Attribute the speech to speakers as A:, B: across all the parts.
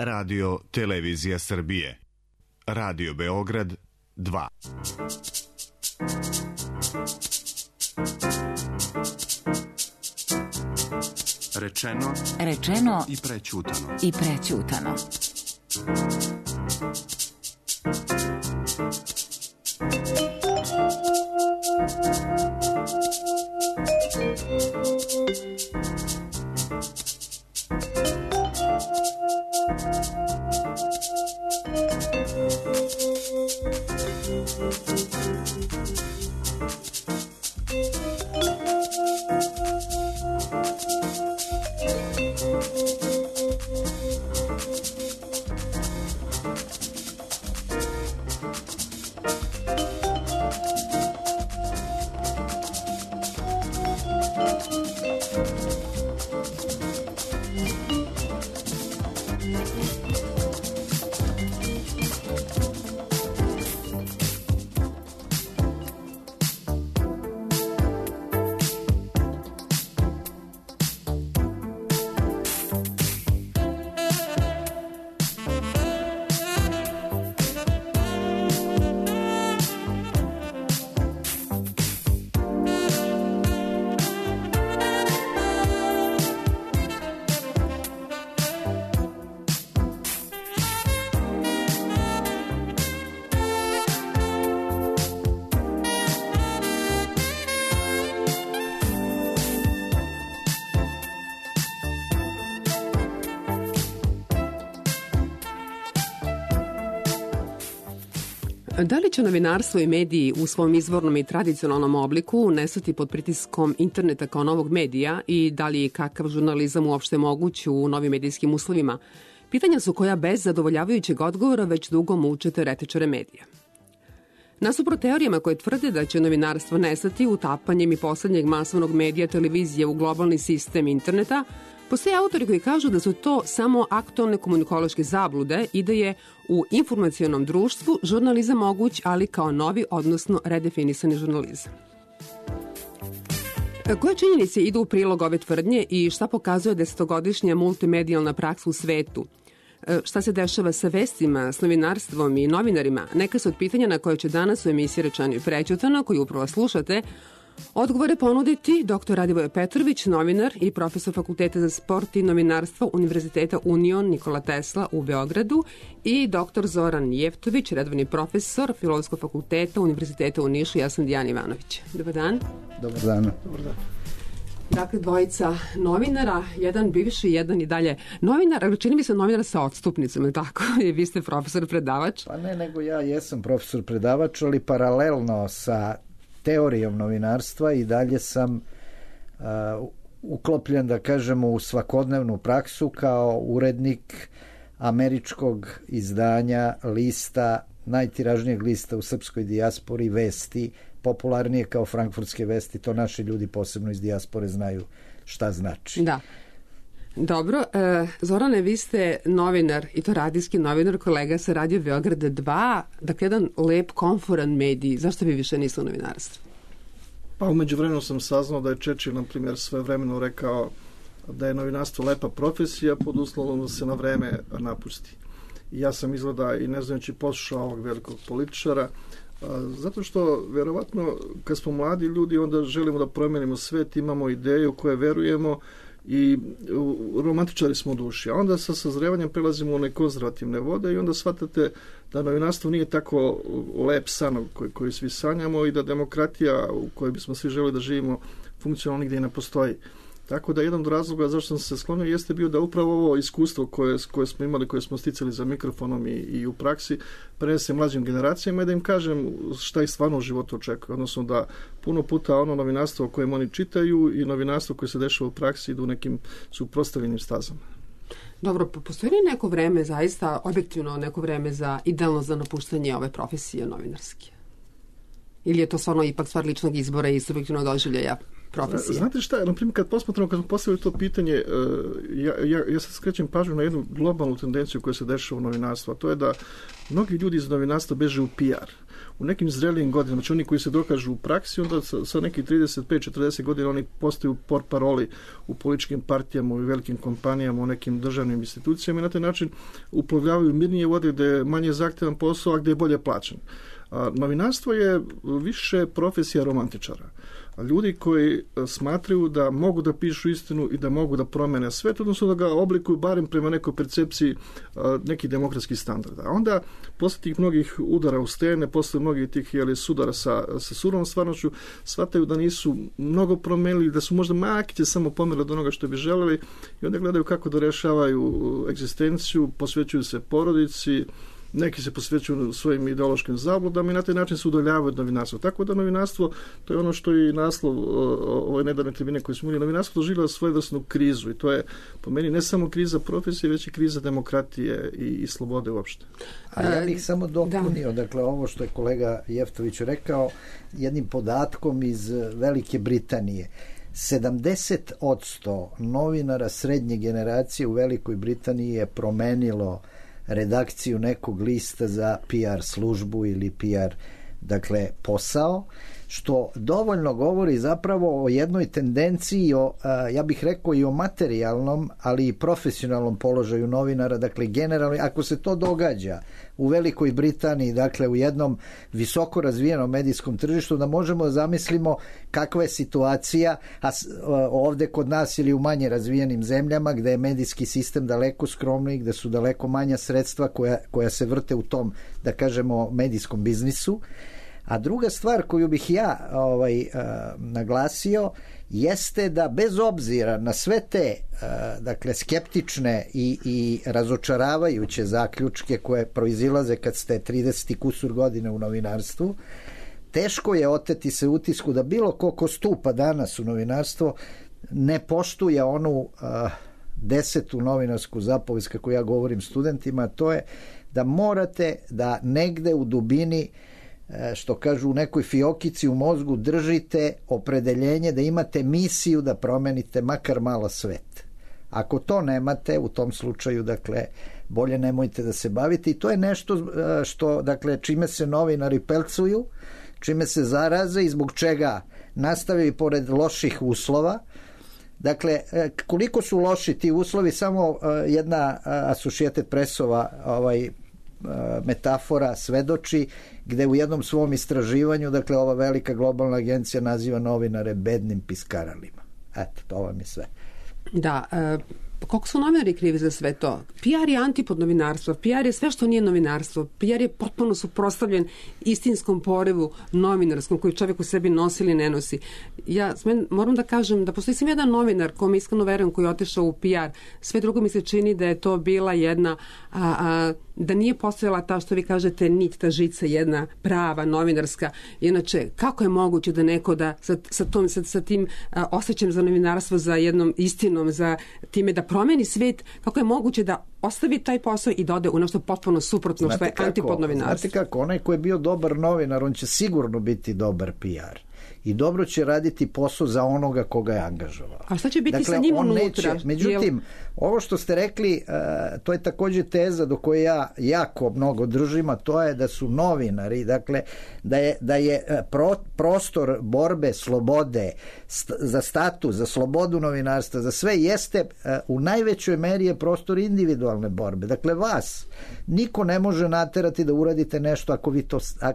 A: Radio Televizija Srbije. Radio Beograd 2.
B: Rečeno
C: i prećutano.
D: Da li će novinarstvo i mediji u svom izvornom i tradicionalnom obliku nestati pod pritiskom interneta kao novog medija i da li je kakav žurnalizam uopšte moguć u novim medijskim uslovima? Pitanja su koja bez zadovoljavajućeg odgovora već dugo muče teoretičare medija. Nasuprot teorijama koje tvrde da će novinarstvo nestati utapanjem i poslednjeg masovnog medija televizije u globalni sistem interneta, postoje autori koji kažu da su to samo aktualne komunikološke zablude i da je u informacionom društvu žurnalizam moguć, ali kao novi, odnosno redefinisani žurnalizam. Koje činjenice idu u prilog ove tvrdnje i šta pokazuje desetogodišnja multimedijalna praksa u svetu? Šta se dešava sa vestima, s novinarstvom i novinarima? Neka su od pitanja na koje će danas u emisiji Rečeno i prećutano, koju upravo slušate, odgovore ponuditi dr. Radivoje Petrović, novinar i profesor Fakulteta za sport i novinarstvo Univerziteta Union Nikola Tesla u Beogradu i dr. Zoran Jeftović, redovni profesor Filozofskog fakulteta Univerziteta u Nišu. Ja sam Dijana Ivanović. Dobar dan.
E: Dobar dan.
D: Dakle, dvojica novinara, jedan bivši, jedan i dalje novinar, ali čini mi se novinar sa odstupnicom, tako? I vi ste profesor predavač.
E: Pa ne, nego ja jesam profesor predavač, ali paralelno sa teorijom novinarstva i dalje sam uklopljen, da kažemo, u svakodnevnu praksu kao urednik američkog izdanja lista, najtiražnijeg lista u srpskoj dijaspori, Vesti, popularnije kao frankfurtske vesti. To naši ljudi posebno iz dijaspore znaju šta znači.
D: Da. Dobro, Zorane, vi ste novinar, i to radijski novinar, kolega sa Radio Beograd 2, dakle jedan lep, komforan medij. Zašto vi više niste u novinarstvu?
F: Pa umeđu vremenu sam saznao da je Churchill, na primjer, svojevremeno rekao da je novinarstvo lepa profesija pod uslovom da se na vreme napusti. I ja sam izgleda i ne znajući poslušao ovog velikog političara, zato što verovatno kad smo mladi ljudi onda želimo da promenimo svet, imamo ideju koje verujemo i romantičari smo u duši, a onda sa sazrevanjem prelazimo u one konzervativne vode i onda shvatate da novinarstvo nije tako lep san koji svi sanjamo i da demokratija u kojoj bismo svi želeli da živimo funkcionalno nigde i ne postoji. Tako da jedan od razloga zašto sam se sklonio jeste bio da upravo ovo iskustvo koje smo imali, koje smo sticali za mikrofonom i u praksi, prenesem mlađim generacijama i da im kažem šta ih stvarno u životu očekuje. Odnosno da puno puta ono novinarstvo o kojem oni čitaju i novinarstvo koje se dešava u praksi idu nekim suprotstavljenim stazama.
D: Dobro, postoji li neko vreme, zaista objektivno neko vreme idealno za napuštanje ove profesije novinarske? Ili je to stvarno ipak stvar ličnog izbora i subjektivnog doživljaja profesije?
F: Znate šta, na primjer, kad smo postavili to pitanje, ja sad skrećem pažnju na jednu globalnu tendenciju koja se dešava u novinarstvu, a to je da mnogi ljudi iz novinarstva beže u PR. u nekim zrelijim godinama, znači oni koji se dokažu u praksi, onda sa nekih 35-40 godina oni postaju portparoli u političkim partijama, u velikim kompanijama, u nekim državnim institucijama i na taj način uplovljavaju mirnije vode gde je manje zahtevan posao, a gde je bolje plaćen. Novinarstvo je više profesija romantičara. Ljudi koji smatraju da mogu da pišu istinu i da mogu da promene svet, odnosno da ga oblikuju barem prema nekoj percepciji nekih demokratskih standarda. A onda posle tih mnogih udara u stene, posle mnogih tih sudara sa surovom stvarnošću, shvataju da nisu mnogo promenili, da su možda makice samo pomerili od onoga što bi želeli i onda gledaju kako da rešavaju egzistenciju, posvećuju se porodici, neki se posvećuju svojim ideološkim zabludama i na taj način se udaljavaju od novinarstva. Tako da novinarstvo, to je ono što je i naslov ove nedavne tribine koje smo imali, novinarstvo doživljava svojevrsnu krizu i to je po meni ne samo kriza profesije, već i kriza demokratije i slobode uopšte.
E: A ja bih samo dopunio, dakle ovo što je kolega Jeftović rekao, jednim podatkom iz Velike Britanije. 70% novinara srednje generacije u Velikoj Britaniji je promenilo redakciju nekog lista za PR službu ili PR, dakle, posao, što dovoljno govori zapravo o jednoj tendenciji, ja bih rekao i o materijalnom, ali i profesionalnom položaju novinara, dakle, generalno, ako se to događa u Velikoj Britaniji, dakle, u jednom visoko razvijenom medijskom tržištu, da možemo da zamislimo kakva je situacija ovde kod nas ili u manje razvijenim zemljama, gde je medijski sistem daleko skromniji, gde su daleko manja sredstva koja se vrte u tom, da kažemo, medijskom biznisu. A druga stvar koju bih ja naglasio jeste da bez obzira na sve te dakle skeptične i razočaravajuće zaključke koje proizilaze kad ste 30 kusur godina u novinarstvu, teško je oteti se utisku da bilo ko stupa danas u novinarstvo ne poštuje onu 10. novinarsku zapovest, kako ja govorim studentima, to je da morate da negde u dubini, što kažu u nekoj fiokici u mozgu, držite opredeljenje da imate misiju da promenite makar malo svet. Ako to nemate, u tom slučaju, dakle, bolje nemojte da se bavite i to je nešto što, dakle, čime se novinari pelcuju, čime se zaraze i zbog čega nastavaju i pored loših uslova. Dakle, koliko su loši ti uslovi, samo jedna Associated Pressova metafora svedoči, gde u jednom svom istraživanju, dakle, ova velika globalna agencija naziva novinare bednim piskaralima. Eto, to vam je sve.
D: Da, koliko su novinari krivi za sve to? PR je antipod novinarstva, PR je sve što nije novinarstvo, PR je potpuno suprotstavljen istinskom porevu novinarskom koji čovjek u sebi nosi ili ne nosi. Ja moram da kažem da postoji sam jedan novinar kome iskreno verujem koji je otišao u PR, sve drugo mi se čini da je to bila jedna da nije postojala ta što vi kažete nit, ta žica jedna prava novinarska. Inače, kako je moguće da neko da sa tim osjećajem za novinarstvo, za jednom istinom, za time da promeni svet, kako je moguće da ostavi taj posao i da ode u nešto potpuno suprotno što je antipod novinarstva.
E: Znate kako, onaj ko je bio dobar novinar, on će sigurno biti dobar PR. I dobro će raditi posao za onoga koga je angažovao.
D: A šta će biti sa njim unutra?
E: Međutim, ovo što ste rekli, to je također teza do koje ja jako mnogo držim, a to je da su novinari, dakle, da je prostor borbe, slobode, za status, za slobodu novinarstva, za sve jeste u najvećoj meri je prostor individualne borbe. Dakle, vas niko ne može naterati da uradite nešto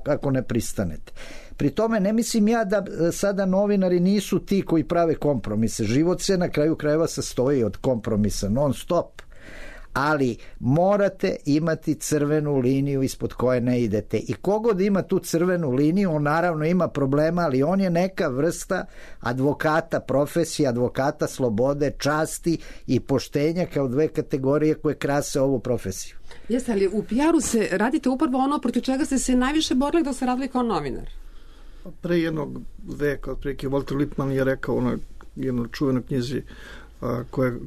E: ako ne pristanete. Pri tome ne mislim ja da sada novinari nisu ti koji prave kompromise. Život se na kraju krajeva sastoji od kompromisa non stop. Ali morate imati crvenu liniju ispod koje ne idete. I kogod ima tu crvenu liniju, on naravno ima problema, ali on je neka vrsta advokata profesije, advokata slobode, časti i poštenja kao dve kategorije koje krase ovu profesiju.
D: Jeste, ali u PR-u se radite upravo ono protiv čega ste se najviše borili da se radili kao novinar.
F: Pre jednog veka, otprilike, Walter Lippmann je rekao u jednoj čuvenoj knjizi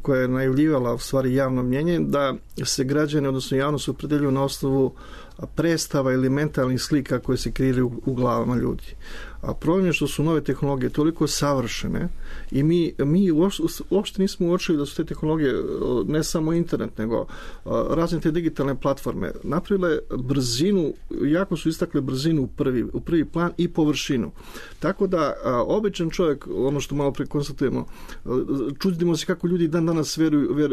F: koja je najavljivala u stvari javno mnjenje, da se građani, odnosno javnost, opredeljuju na osnovu predstava ili mentalnih slika koje se kreiraju u glavama ljudi. A problem je što su nove tehnologije toliko savršene i mi uopšte nismo uočili da su te tehnologije, ne samo internet, nego razne te digitalne platforme, napravile brzinu, jako su istakle brzinu u prvi plan i površinu. Tako da običan čovjek, ono što malo prekonstatujemo, čudimo se kako ljudi dan danas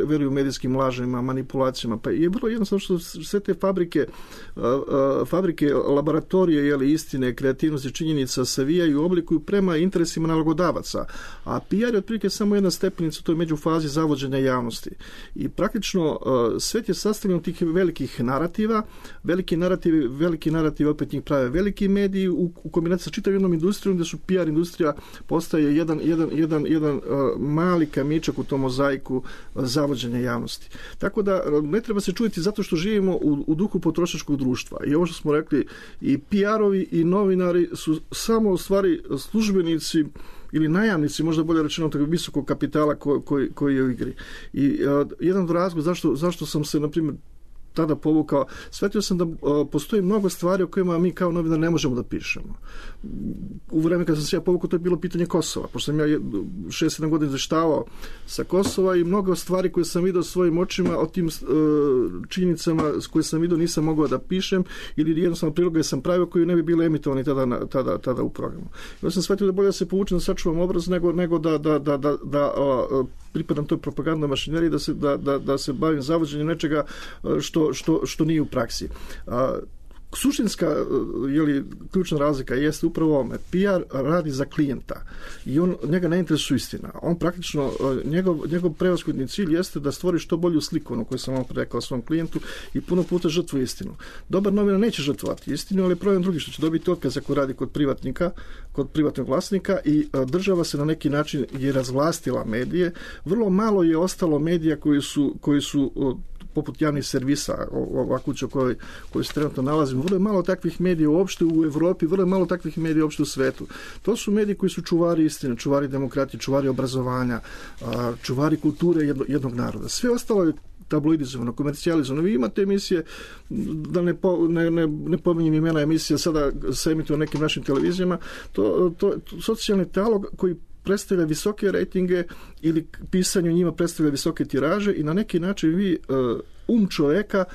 F: veruju medijskim lažima, manipulacijama. Pa je vrlo jednostavno što sve te fabrike, laboratorije, istine, kreativnosti, činjenica savijaju i oblikuju prema interesima nalogodavaca. A PR je otprilike samo jedna stepenica u toj međufazi zavođenja javnosti. I praktično svet je sastavljen od tih velikih narativa. Veliki narativ opet njih prave veliki mediji u kombinaciji sa čitavom jednom industrijom gdje su PR industrija postaje jedan mali kamičak u tom mozaiku zavođenja javnosti. Tako da ne treba se čuditi zato što živimo u duhu potrošačkog društva. I ovo što smo rekli, i PR-ovi i novinari su samo u stvari službenici ili najamnici, možda bolje rečeno, tog visokog kapitala koji je u igri. I jedan od razloga zašto sam se, na primjer, tada povukao, shvatio sam da postoji mnogo stvari o kojima mi kao novinar ne možemo da pišemo. U vreme kada sam se ja povukao, to je bilo pitanje Kosova, pošto sam ja 6-7 godina izveštavao sa Kosova i mnogo stvari koje sam vidio svojim očima o tim činjenicama koje sam vidio nisam mogao da pišem ili jednostavno priloge sam pravio koji ne bi bile emitovani tada u programu. Ja sam shvatio da bolje da se povučem, da sačuvam obraz nego da pripadam toj propagandnoj mašineriji, da se bavim zavođenjem nečega što nije u praksi. Suštinska ključna razlika jeste upravo ovome. PR radi za klijenta i njega ne interesuje istina. On praktično, njegov prevashodni cilj jeste da stvori što bolju sliku, ono koju sam vam rekao svom klijentu, i puno puta žrtvuje istinu. Dobar novinar neće žrtvovati istinu, ali je problem drugi što će dobiti otkaz ako radi kod privatnog vlasnika i država se na neki način je razvlastila medije. Vrlo malo je ostalo medija koji su poput javnih servisa, ova kuća u kojoj se trenutno nalazimo, vrlo je malo takvih medija uopšte u Evropi, vrlo je malo takvih medija uopšte u svetu. To su mediji koji su čuvari istine, čuvari demokratije, čuvari obrazovanja, čuvari kulture jednog naroda. Sve ostalo je tabloidizovano, komercijalizovano. Vi imate emisije, da ne pominjem imena emisija, sada se emituju na nekim našim televizijama, to socijalni talog koji predstavlja visoke rejtinge ili pisanje njima predstavlja visoke tiraže i na neki način vi čovjeka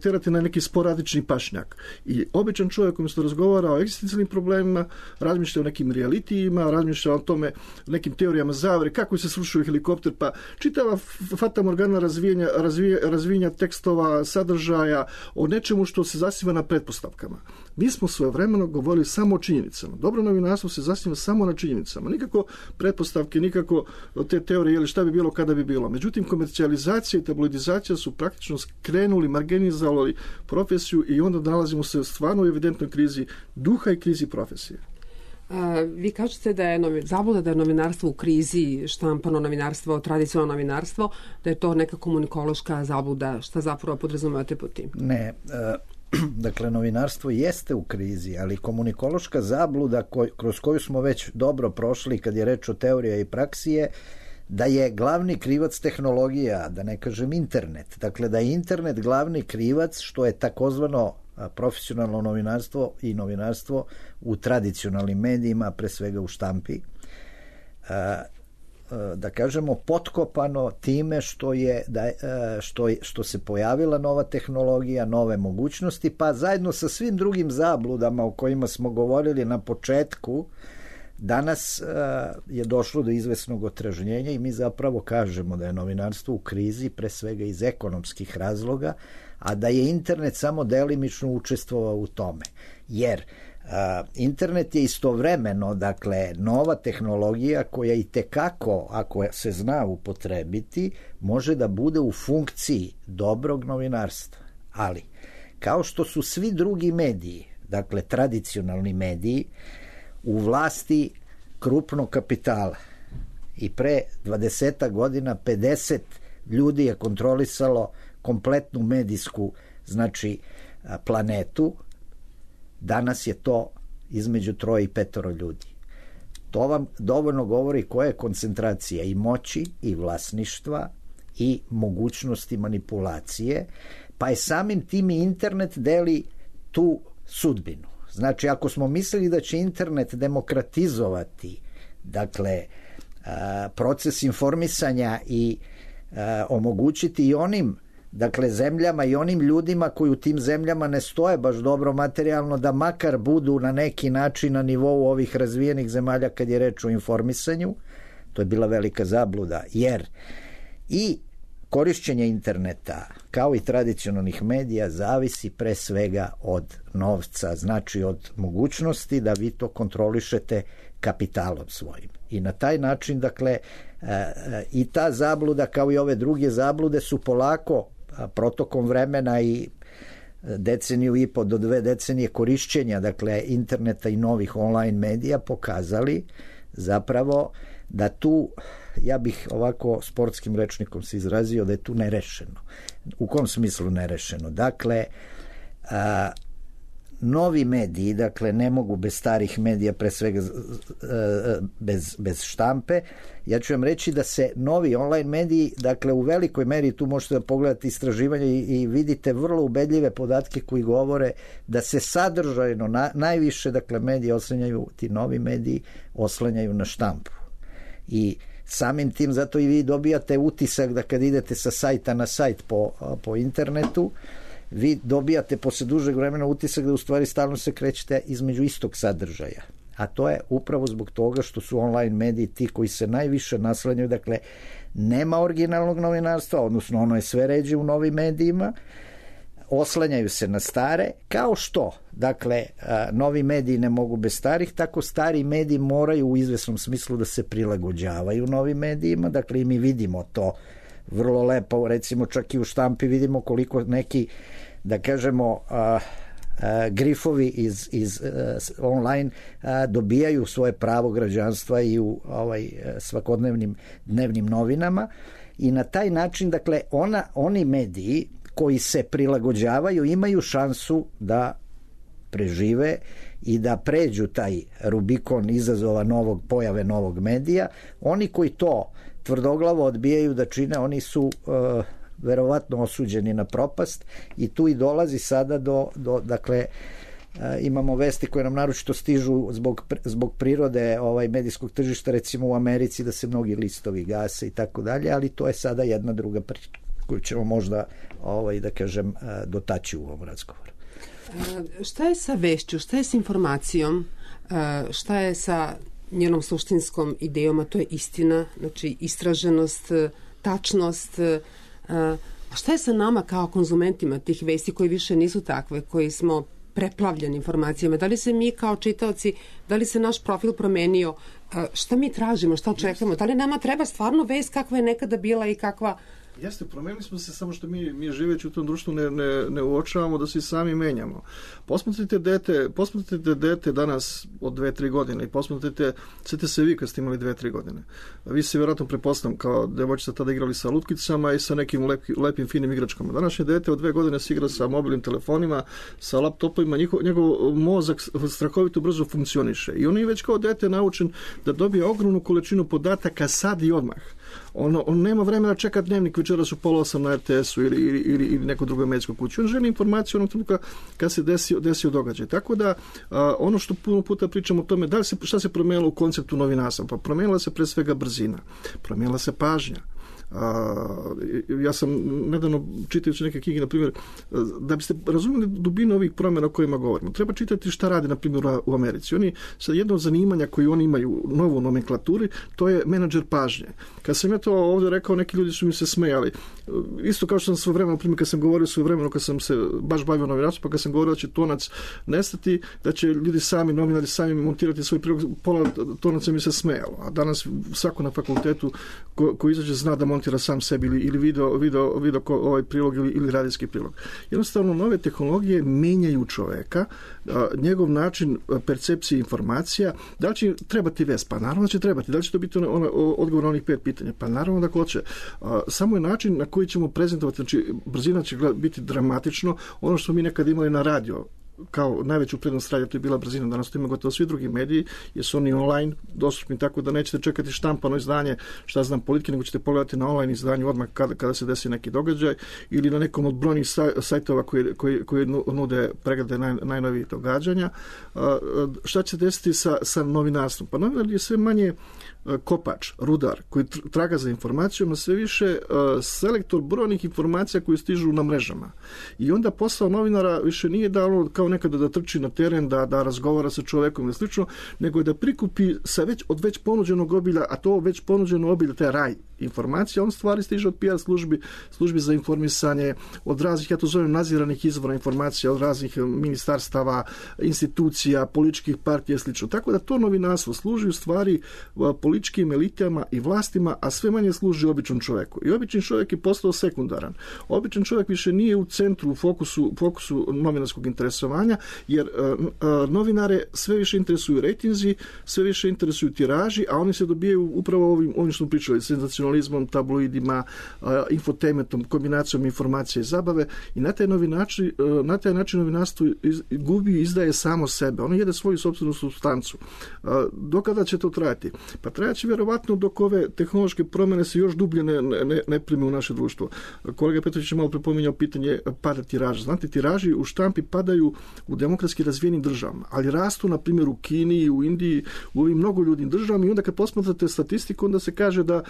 F: terate na neki sporadični pašnjak. I običan čovjek umjesto razgovara o egzistencijalnim problemima, razmišlja o nekim realitijima, razmišlja o tome, nekim teorijama zavere, kako se srušuje helikopter, pa čitava fata morgana razvijenja tekstova, sadržaja, o nečemu što se zasniva na pretpostavkama. Mi smo svojevremeno govorili samo o činjenicama. Dobro novinarstvo se zasniva samo na činjenicama. Nikako pretpostavke, nikako te teorije ili šta bi bilo kada bi bilo. Međutim, komercijalizacija i tabloidizacija su praktično skrenuli, marginalizovali profesiju i onda nalazimo se stvarno u evidentnoj krizi duha i krizi profesije.
D: Vi kažete da je zabluda da je novinarstvo u krizi, štampano novinarstvo, tradicionalno novinarstvo, da je to neka komunikološka zabluda. Šta zapravo podrazumevate pod tim?
E: Ne, dakle, novinarstvo jeste u krizi, ali komunikološka zabluda kroz koju smo već dobro prošli kad je reč o teorija i praksije, da je glavni krivac tehnologija, da ne kažem internet. Dakle, da je internet glavni krivac, što je takozvano profesionalno novinarstvo i novinarstvo u tradicionalnim medijima, pre svega u štampi, da kažemo potkopano time što se pojavila nova tehnologija, nove mogućnosti, pa zajedno sa svim drugim zabludama o kojima smo govorili na početku, danas je došlo do izvesnog otrežnjenja i mi zapravo kažemo da je novinarstvo u krizi pre svega iz ekonomskih razloga, a da je internet samo delimično učestvovao u tome. Jer internet je istovremeno, dakle, nova tehnologija koja i tekako, ako se zna upotrebiti, može da bude u funkciji dobrog novinarstva. Ali, kao što su svi drugi mediji, dakle, tradicionalni mediji, u vlasti krupnog kapitala i pre 20 godina 50 ljudi je kontrolisalo kompletnu medijsku, znači, planetu. Danas je to između 3 i 5 ljudi. To vam dovoljno govori koja je koncentracija i moći i vlasništva i mogućnosti manipulacije, pa je samim tim i internet deli tu sudbinu. Znači, ako smo mislili da će internet demokratizovati, dakle, proces informisanja i omogućiti i onim, dakle, zemljama i onim ljudima koji u tim zemljama ne stoje baš dobro materijalno, da makar budu na neki način na nivou ovih razvijenih zemalja kad je reč o informisanju, to je bila velika zabluda, jer i korišćenje interneta, kao i tradicionalnih medija, zavisi pre svega od novca, znači od mogućnosti da vi to kontrolišete kapitalom svojim. I na taj način, dakle, i ta zabluda, kao i ove druge zablude, su polako protokom vremena i deceniju i po do 2 decenije korišćenja, dakle, interneta i novih online medija pokazali zapravo da tu, ja bih ovako sportskim rečnikom se izrazio, da je tu nerešeno. U kom smislu nerešeno? Dakle, novi mediji, dakle, ne mogu bez starih medija, pre svega bez štampe. Ja ću vam reći da se novi online mediji, dakle, u velikoj meri, tu možete da pogledate istraživanje i vidite vrlo ubedljive podatke koji govore da se sadržajno najviše, dakle, mediji oslanjaju, ti novi mediji oslanjaju na štampu. I samim tim, zato i vi dobijate utisak da kad idete sa sajta na sajt po internetu, vi dobijate posle dužeg vremena utisak da u stvari stalno se krećete između istog sadržaja. A to je upravo zbog toga što su online mediji ti koji se najviše naslanjaju, dakle, nema originalnog novinarstva, odnosno ono je sve ređe u novim medijima, oslanjaju se na stare, kao što, dakle, novi mediji ne mogu bez starih, tako stari mediji moraju u izvesnom smislu da se prilagođavaju novim medijima, dakle, i mi vidimo to vrlo lepo, recimo čak i u štampi vidimo koliko neki, da kažemo, grifovi iz online dobijaju svoje pravo građanstva i u svakodnevnim dnevnim novinama, i na taj način, dakle, oni mediji koji se prilagođavaju imaju šansu da prežive i da pređu taj Rubikon izazova pojave novog medija. Oni koji to tvrdoglavo odbijaju da čine, oni su verovatno osuđeni na propast, i tu i dolazi sada dakle, imamo vesti koje nam naročito stižu zbog prirode medijskog tržišta, recimo u Americi, da se mnogi listovi gase i tako dalje, ali to je sada jedna druga priča koju ćemo možda, da kažem, dotaći u ovom razgovoru.
D: Šta je sa vešću, šta je sa informacijom, šta je sa njenom suštinskom idejom, a to je istina, znači istraženost, tačnost, a šta je sa nama kao konzumentima tih vesti koji više nisu takve, koji smo preplavljeni informacijama? Da li se mi kao čitaoci, da li se naš profil promenio, šta mi tražimo, šta očekujemo, da li nama treba stvarno vest kakva je nekada bila i kakva...
F: Jeste, promenili smo se, samo što mi živeći u tom društvu ne uočavamo da se i sami menjamo. Posmatrite dete danas od 2-3 godine i posmatrite, sjetite se vi kad ste imali 2-3 godine. Vi se vjerojatno prepoznam kao devojčica tada igrali sa lutkicama i sa nekim lepim finim igračkama. Današnje dete od 2 godine se igra sa mobilnim telefonima, sa laptopovima, njegov mozak strahovito brzo funkcioniše i on je već kao dete naučen da dobije ogromnu količinu podataka sad i odmah. On nema vremena čekati dnevnik večeras u 7:30 na RTS-u ili nekoj drugoj medijskoj kući. On želi informaciju onog trenutka kad se desio događaj. Tako da ono što puno puta pričamo o tome, šta se promijenilo u konceptu novinarstva? Pa promijenila se pre svega brzina, promijenila se pažnja. Ja sam nedavno čitajući neke knjige, na primjer, da biste razumjeli dubinu ovih promjena o kojima govorimo, treba čitati šta radi, na primjer, u Americi. Oni, sad, jedno od zanimanja koje oni imaju u novoj nomenklaturi, to je menadžer pažnje. Kad sam ja to ovdje rekao, neki ljudi su mi se smejali. Isto kao što sam svoje vremeno, na primjer, kad sam govorio svoje vremeno, kad sam se baš bavio novinarstvom, pa kad sam govorio da će tonac nestati, da će ljudi sami, novinari sami montirati svoj prilog, pola tonaca mi se smejalo. A danas svako na fakultetu ko izađe zna da montira sam sebi ili video ovaj prilog ili radijski prilog. Jednostavno, nove tehnologije menjaju čoveka, njegov način percepcije informacija. Da li će trebati vest? Pa naravno da će trebati. Da li će to biti odgovor na onih 5 pitanja? Pa naravno da hoće. Samo je način na koji ćemo prezentovati, znači brzina će biti dramatično. Ono što mi nekad imali na radio kao najveću prednost radija, to je bila brzina. Danas to ima gotovo svi drugi mediji, jer su oni online dostupni, tako da nećete čekati štampano izdanje, šta znam, Politike, nego ćete pogledati na online izdanju odmah kada se desi neki događaj, ili na nekom od brojnih sajtova koji nude preglede najnovijih događanja. Šta će se desiti sa novinarstvom? Pa novinar je sve manje kopač, rudar, koji traga za informacijom, a sve više selektor brojnih informacija koje stižu na mrežama. I onda posao novinara više nije da ono kao nekada da trči na teren, da razgovara sa čovekom ili slično, nego je da prikupi od već ponuđenog obilja, a to već ponuđeno obilje, taj raj informacija, on stvari stiže od PR službi za informisanje, od raznih, ja to zovem nadziranih izvora informacija, od raznih ministarstava, institucija, političkih partija i slično. Tako da to novinarstvo služi u stvari političkim elitama i vlastima, a sve manje služi običnom čoveku. I običan čovjek je postao sekundaran. Običan čovjek više nije u centru, u fokusu novinarskog interesovanja, jer novinare sve više interesuju rejtinzi, sve više interesuju tiraži, a oni se dobijaju upravo ovim što smo pričali, senzacionalizmom, tabloidima, infotainmentom, kombinacijom informacije i zabave, i na taj način novinarstvo gubi i izdaje samo sebe. Ono jede svoju sopstvenu supstancu. Do kada će to trajati? Pa trajaće vjerovatno dok ove tehnološke promjene se još dublje ne prime u naše društvo. Kolega Petrović je malo prepominjao pitanje pada tiraža. Znate, tiraži u štampi padaju u demokratski razvijenim državama, ali rastu, na primjer, u Kini, u Indiji, u ovim mnogo ljudnim državama, i onda kad posmatrate statistiku, onda se kaže da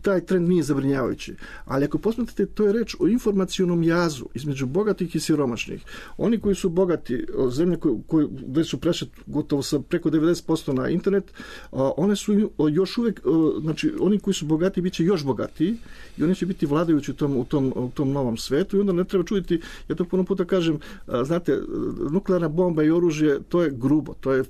F: taj trend nije zabrinjavajući. Ali ako posmatrate, to je reč o informacionom jazu između bogatih i siromašnih. Oni koji su bogati, zemlje koje već su prešle gotovo sa preko 90% na internet, one su još uvijek, znači oni koji su bogati bit će još bogatiji i oni će biti vladajući u tom novom svetu, i onda ne treba čuditi, ja to puno puta kažem, znate, nuklearna bomba i oružje, to je grubo, to je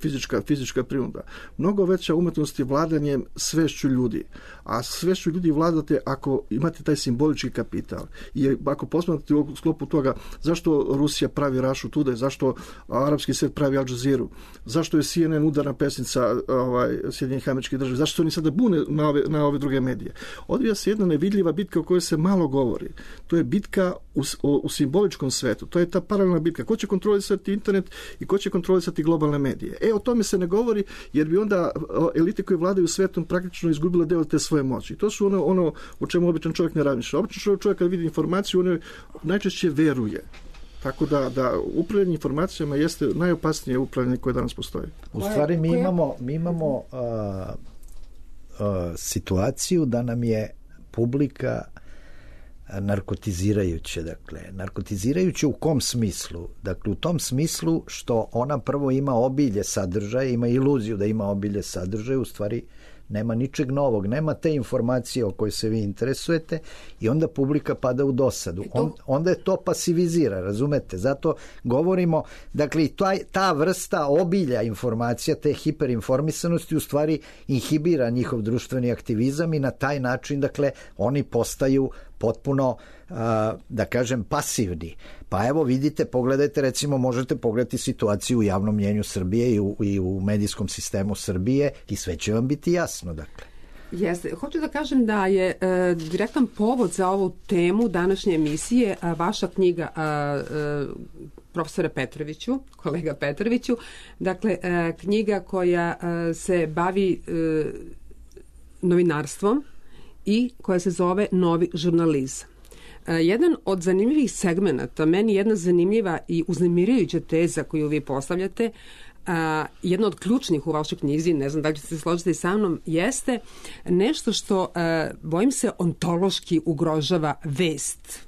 F: fizička prinuda. Mnogo veća umetnost je vladanjem svešću ljudi, a svešću ljudi vladate ako imate taj simbolički kapital. I ako posmatrate u sklopu toga zašto Rusija pravi Russia Today, zašto arapski svijet pravi Al Jazeera, zašto je CNN udarna pesnica Sjedinjenih Američkih Država, zašto se oni sada bune na ove druge medije. Odvija se jedna nevidljiva bitka o kojoj se malo govori. To je bitka u simboličkom svetu. To je ta paralelna bitka. Ko će kontrolisati internet i ko će kontrolisati globalne medije? O tome se ne govori, jer bi onda elite koje vladaju svetom praktično izgubile deo te svoje moći. To su ono o čemu običan čovjek ne razmišlja. Običan čovjek kad vidi informaciju, on najčešće veruje. Tako da upravljanje informacijama jeste najopasnije upravljanje koje danas postoji.
E: U stvari mi imamo situaciju da nam je publika narkotizirajuće. Dakle, narkotizirajuće u kom smislu? Dakle, u tom smislu što ona prvo ima obilje sadržaja, ima iluziju da ima obilje sadržaja, u stvari nema ničeg novog, nema te informacije o kojoj se vi interesujete, i onda publika pada u dosadu. Onda je to pasivizira, razumete? Zato govorimo, dakle, ta vrsta obilja informacija, te hiperinformisanosti u stvari inhibira njihov društveni aktivizam, i na taj način, dakle, oni postaju potpuno, da kažem, pasivni. Pa evo vidite, pogledajte, recimo možete pogledati situaciju u javnom mnjenju Srbije i u medijskom sistemu Srbije, i sve će vam biti jasno, dakle.
D: Jeste. Hoću da kažem da je direktan povod za ovu temu današnje emisije vaša knjiga, profesore Petroviću, kolega Petroviću, dakle knjiga koja se bavi novinarstvom i koja se zove Novi žurnalizam. Jedan od zanimljivih segmenata, meni jedna zanimljiva i uznemirujuća teza koju vi postavljate, jedna od ključnih u vašoj knjizi, ne znam da li ćete se složiti sa mnom, jeste nešto što, bojim se, ontološki ugrožava vest.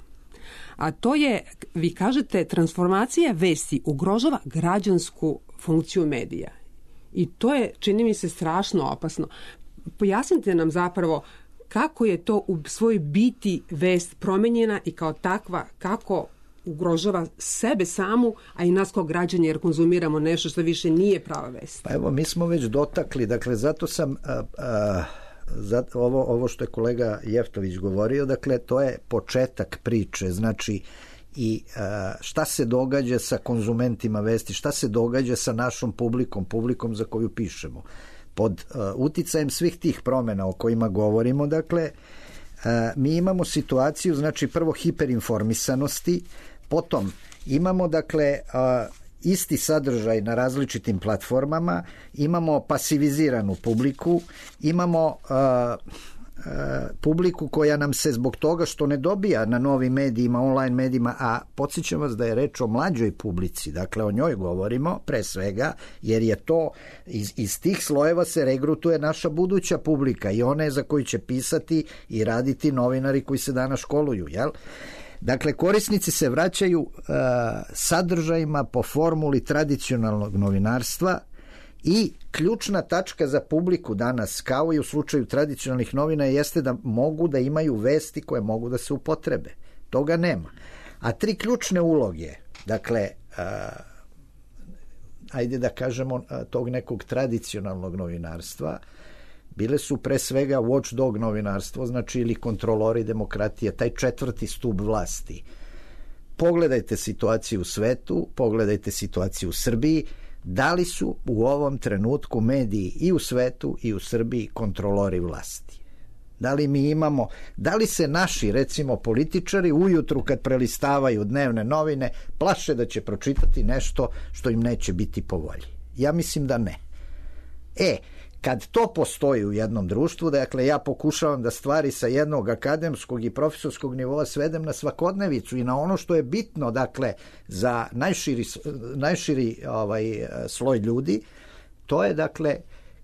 D: A to je, vi kažete, transformacija vesti ugrožava građansku funkciju medija. I to je, čini mi se, strašno opasno. Pojasnite nam zapravo kako je to u svojoj biti vest promenjena i kao takva, kako ugrožava sebe samu, a i nas kao građani, jer konzumiramo nešto što više nije prava vest. Pa
E: evo, mi smo već dotakli, dakle, zato sam ovo što je kolega Jeftović govorio, dakle, to je početak priče, znači, i šta se događa sa konzumentima vesti, šta se događa sa našom publikom za koju pišemo. Pod uticajem svih tih promjena o kojima govorimo, dakle, mi imamo situaciju, znači, prvo hiperinformisanosti, potom imamo, dakle, isti sadržaj na različitim platformama, imamo pasiviziranu publiku, imamo publiku koja nam se zbog toga što ne dobija na novim medijima, online medijima, a podsjećam vas da je reč o mlađoj publici, dakle o njoj govorimo pre svega, jer je to iz tih slojeva se regrutuje naša buduća publika i one za koju će pisati i raditi novinari koji se danas školuju, jel? Dakle, korisnici se vraćaju sadržajima po formuli tradicionalnog novinarstva i ključna tačka za publiku danas, kao i u slučaju tradicionalnih novina, jeste da mogu da imaju vesti koje mogu da se upotrebe. Toga nema. A 3 ključne uloge, dakle, ajde da kažemo tog nekog tradicionalnog novinarstva, bile su pre svega watchdog novinarstvo, znači ili kontrolori demokratije, taj 4. stub vlasti. Pogledajte situaciju u svetu, pogledajte situaciju u Srbiji, da li su u ovom trenutku mediji i u svetu i u Srbiji kontrolori vlasti? Da li mi imamo, da li se naši, recimo, političari ujutru kad prelistavaju dnevne novine plaše da će pročitati nešto što im neće biti po volji? Ja mislim da ne. Kad to postoji u jednom društvu, dakle ja pokušavam da stvari sa jednog akademskog i profesorskog nivoa svedem na svakodnevicu i na ono što je bitno, dakle, za najširi sloj ljudi, to je, dakle,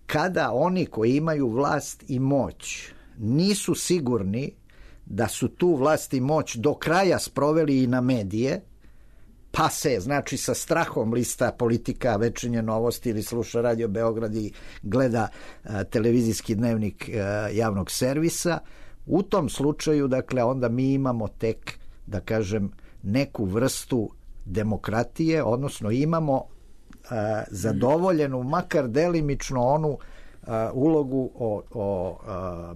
E: kada oni koji imaju vlast i moć nisu sigurni da su tu vlast i moć do kraja sproveli i na medije, pa se, znači, sa strahom lista Politika, Večernje novosti ili sluša Radio Beograd i gleda televizijski dnevnik javnog servisa, u tom slučaju, dakle, onda mi imamo tek, da kažem, neku vrstu demokratije, odnosno imamo zadovoljenu, makar delimično onu ulogu o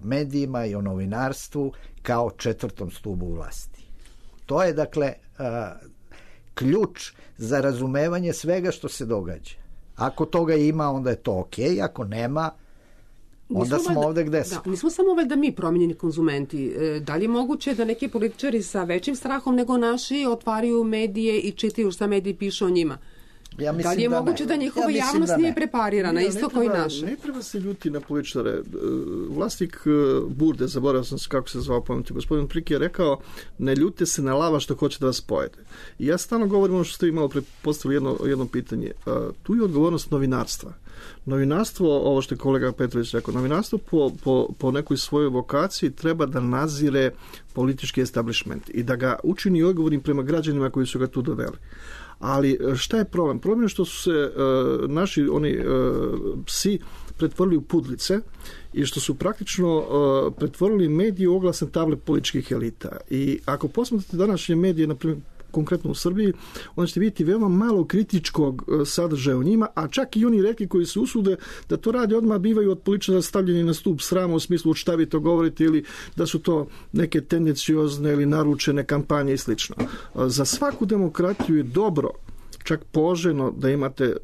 E: medijima i o novinarstvu kao 4. stubu vlasti. To je, dakle, ključ za razumevanje svega što se događa. Ako toga ima, onda je to okej, ako nema, onda smo ovde gde smo.
D: Nismo samo da mi promenjeni konzumenti. Da li je moguće da neki političari sa većim strahom nego naši otvaraju medije i čitaju šta mediji pišu o njima? Da li je moguće da njihova javnost nije preparirana, isto kao i naša?
F: Ne treba se ljuti na političare. Vlasnik Burde, zaboravio sam se kako se zvao, pameti, gospodin Priki je rekao, ne ljute se na lava što hoće da vas pojede. I ja stalno govorim ono što ste vi malo prepostavili jedno pitanje. Tu je odgovornost novinarstva. Novinarstvo, ovo što je kolega Petrović rekao, novinarstvo po nekoj svojoj vokaciji treba da nadzire politički establishment i da ga učini odgovornim prema građanima koji su ga tu doveli. Ali šta je problem? Problem je što su se naši psi pretvorili u pudlice i što su praktično pretvorili medije u oglasne table političkih elita. I ako posmatrate današnje medije, na primjer, konkretno u Srbiji, onda ćete vidjeti veoma malo kritičkog sadržaja u njima, a čak i oni reki koji se usude da to rade odmah bivaju od političara stavljeni na stup srama u smislu šta vi to govorite ili da su to neke tendenciozne ili naručene kampanje i slično. Za svaku demokratiju je dobro, čak poželjno da imate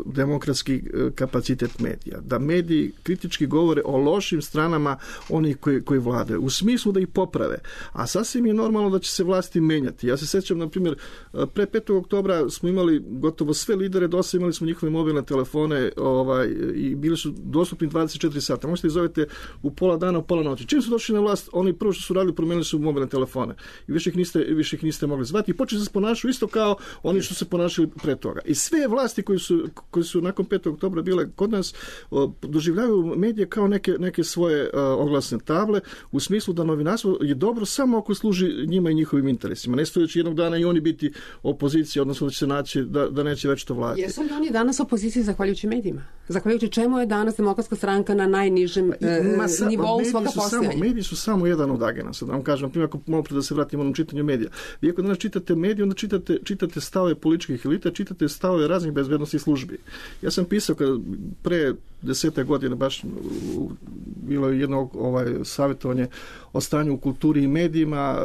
F: demokratski kapacitet medija, da mediji kritički govore o lošim stranama onih koji vladaju, u smislu da ih poprave. A sasvim je normalno da će se vlasti menjati. Ja se sećam, na primjer, pre 5. oktobra smo imali gotovo sve lidere DOS-a, imali smo njihove mobilne telefone i bili su dostupni 24 sata. Možete ih zovete u pola dana, u pola noći. Čim su došli na vlast, oni prvo što su radili, promenili su mobilne telefone. I više ih niste mogli zvati. I počeli se ponašaju isto kao oni što se ponašaju pre toga. I sve vlasti koji su nakon 5. oktobra bile kod nas doživljavaju medije kao neke svoje oglasne table u smislu da novinarstvo je dobro samo ako služi njima i njihovim interesima. Ne stojeći jednog dana i oni biti opozicija, odnosno da će se naći da neće već to vladati.
D: Jesu li oni danas opoziciji zahvaljujući medijima? Zahvaljujući čemu je danas Demokratska stranka na najnižem nivou svoga postojanja?
F: Mediji su samo jedan od agenasa. Da vam kažem, na primjer, ako malo pre da se vratimo na čitanju medija. Vi ako danas čitate medije, onda čitate stave političkih elita, čitate stavove raznih bezbednostnih službi. Ja sam pisao pre 10. godine baš bilo je jedno savjetovanje o stanju u kulturi i medijima,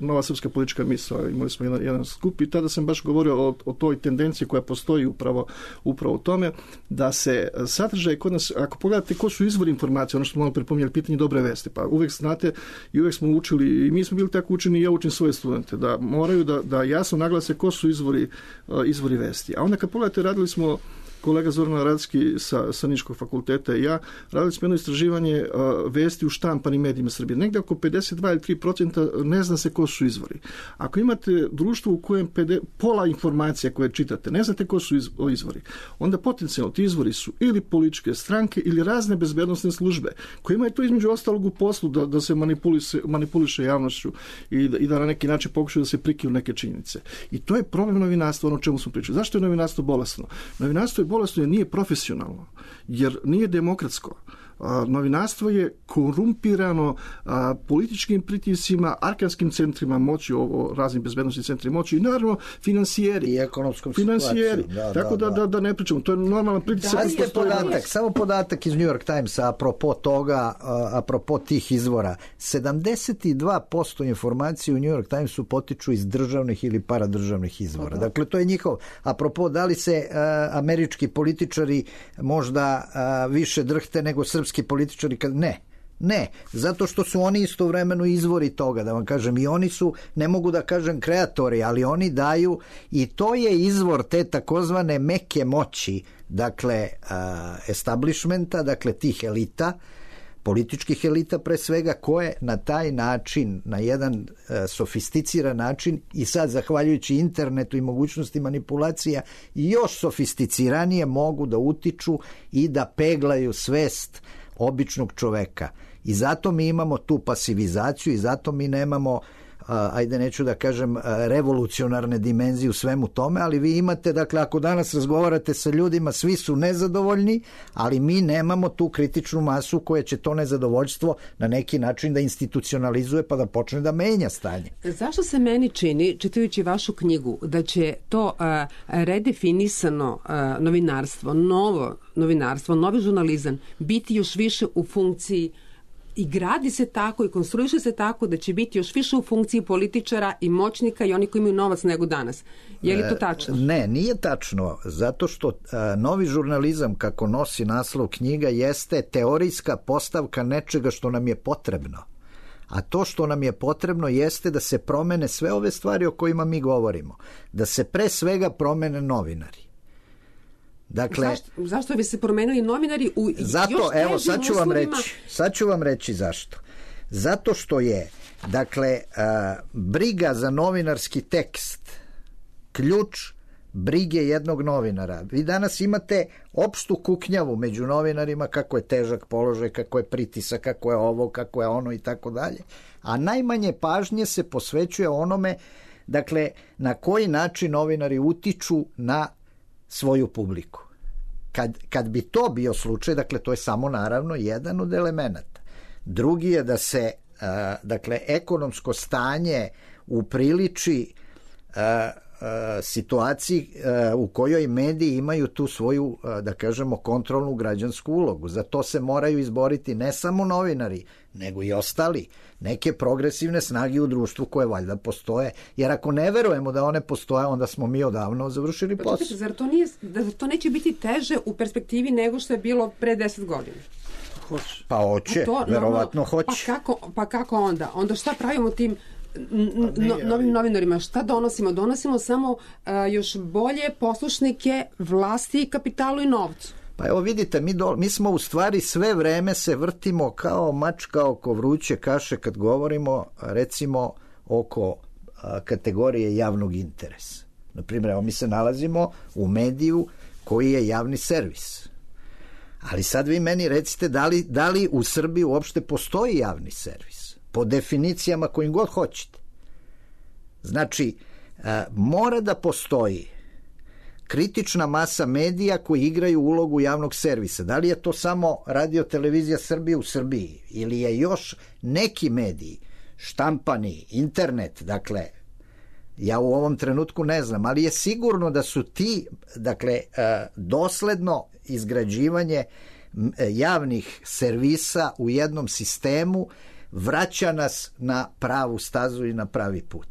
F: Nova srpska politička misao, imali smo jedan skup i tada sam baš govorio o toj tendenciji koja postoji upravo u tome, da se sadržaj kod nas, ako pogledate ko su izvori informacije, ono što smo malo pripomnjali, pitanje dobre vesti, pa uvek znate i uvek smo učili, i mi smo bili tako učeni i ja učim svoje studente, da moraju da jasno naglase ko su izvori vesti. A onda kad pogledate, radili smo kolega Zoran Radski sa Niškog fakulteta i ja, radili smo jedno istraživanje vesti u štampanim medijima Srbije. Negde oko 52 ili 3% ne zna se ko su izvori. Ako imate društvo u kojem pola informacija koje čitate, ne znate ko su izvori, onda potencijalno ti izvori su ili političke stranke ili razne bezbednosne službe koje imaju to između ostalog u poslu da se manipuliše javnošću i da na neki način pokušaju da se prikriju neke činjenice. I to je problem novinarstva, ono o čemu smo pričali. Zašto je novinarstvo bolesno? Novinarstvo je bolesno jer nije profesionalno, jer nije demokratsko. Novinarstvo je korumpirano političkim pritiscima, arkanskim centrima moći, raznim bezbednostnim centrima moći i naravno finansijeri.
E: I ekonomskom situacijom.
F: Tako da ne pričamo. To je normalan pritisak.
E: Samo podatak iz New York Timesa apropo toga, apropo tih izvora. 72% informacije u New York Timesu potiču iz državnih ili paradržavnih izvora. Dakle, to je njihov. Apropo, da li se američki političari možda više drhte nego srpski političari? Ne, zato što su oni istovremeno izvori toga, da vam kažem, i oni su, ne mogu da kažem kreatori, ali oni daju, i to je izvor te takozvane meke moći, dakle establishmenta, dakle tih elita, političkih elita pre svega, koje na taj način, na jedan sofisticiran način i sad zahvaljujući internetu i mogućnosti manipulacija još sofisticiranije mogu da utiču i da peglaju svest običnog čoveka. I zato mi imamo tu pasivizaciju i zato mi nemamo, ajde neću da kažem, revolucionarne dimenzije u svemu tome, ali vi imate, dakle, ako danas razgovarate sa ljudima, svi su nezadovoljni, ali mi nemamo tu kritičnu masu koja će to nezadovoljstvo na neki način da institucionalizuje pa da počne da menja stanje.
D: Zašto se meni čini, čitajući vašu knjigu, da će to redefinisano novinarstvo, novo novinarstvo, novi žurnalizam biti još više u funkciji i gradi se tako i konstruiše se tako da će biti još više u funkciji političara i moćnika i oni koji imaju novac nego danas. Je li to tačno?
E: Ne, nije tačno, zato što novi žurnalizam, kako nosi naslov knjiga, jeste teorijska postavka nečega što nam je potrebno. A to što nam je potrebno jeste da se promene sve ove stvari o kojima mi govorimo. Da se pre svega promene novinari. Dakle,
D: zašto bi se promenili novinari u
E: zato,
D: još težim
E: evo,
D: uslovima?
E: Sad ću vam reći zašto. Zato što je, dakle, briga za novinarski tekst ključ brige jednog novinara. Vi danas imate opštu kuknjavu među novinarima kako je težak položaj, kako je pritisak, kako je ovo, kako je ono i tako dalje. A najmanje pažnje se posvećuje onome, dakle, na koji način novinari utiču na svoju publiku. Kad bi to bio slučaj, dakle, to je samo naravno jedan od elemenata. Drugi je da se, dakle, ekonomsko stanje upriliči situaciji u kojoj mediji imaju tu svoju, da kažemo, kontrolnu građansku ulogu. Za to se moraju izboriti ne samo novinari, nego i ostali, neke progresivne snage u društvu koje valjda postoje. Jer ako ne verujemo da one postoje, onda smo mi odavno završili posao.
D: Čekajte, zar to neće biti teže u perspektivi nego što je bilo pre 10 godina?
E: Pa hoće, verovatno hoće.
D: Pa kako onda? Onda šta pravimo tim novim novinarima? Šta donosimo? Donosimo samo još bolje poslušnike vlasti, kapitalu i novcu.
E: Pa evo vidite, mi smo u stvari sve vreme se vrtimo kao mačka oko vruće kaše kad govorimo, recimo, oko kategorije javnog interesa. Naprimjer, evo mi se nalazimo u mediju koji je javni servis. Ali sad vi meni recite da li u Srbiji uopšte postoji javni servis? Po definicijama kojim god hoćete. Znači, mora da postoji kritična masa medija koji igraju ulogu javnog servisa. Da li je to samo Radio Televizija Srbije u Srbiji ili je još neki mediji, štampani, internet, dakle, Ja u ovom trenutku ne znam, ali je sigurno da su ti, dakle, dosledno izgrađivanje javnih servisa u jednom sistemu vraća nas na pravu stazu i na pravi put.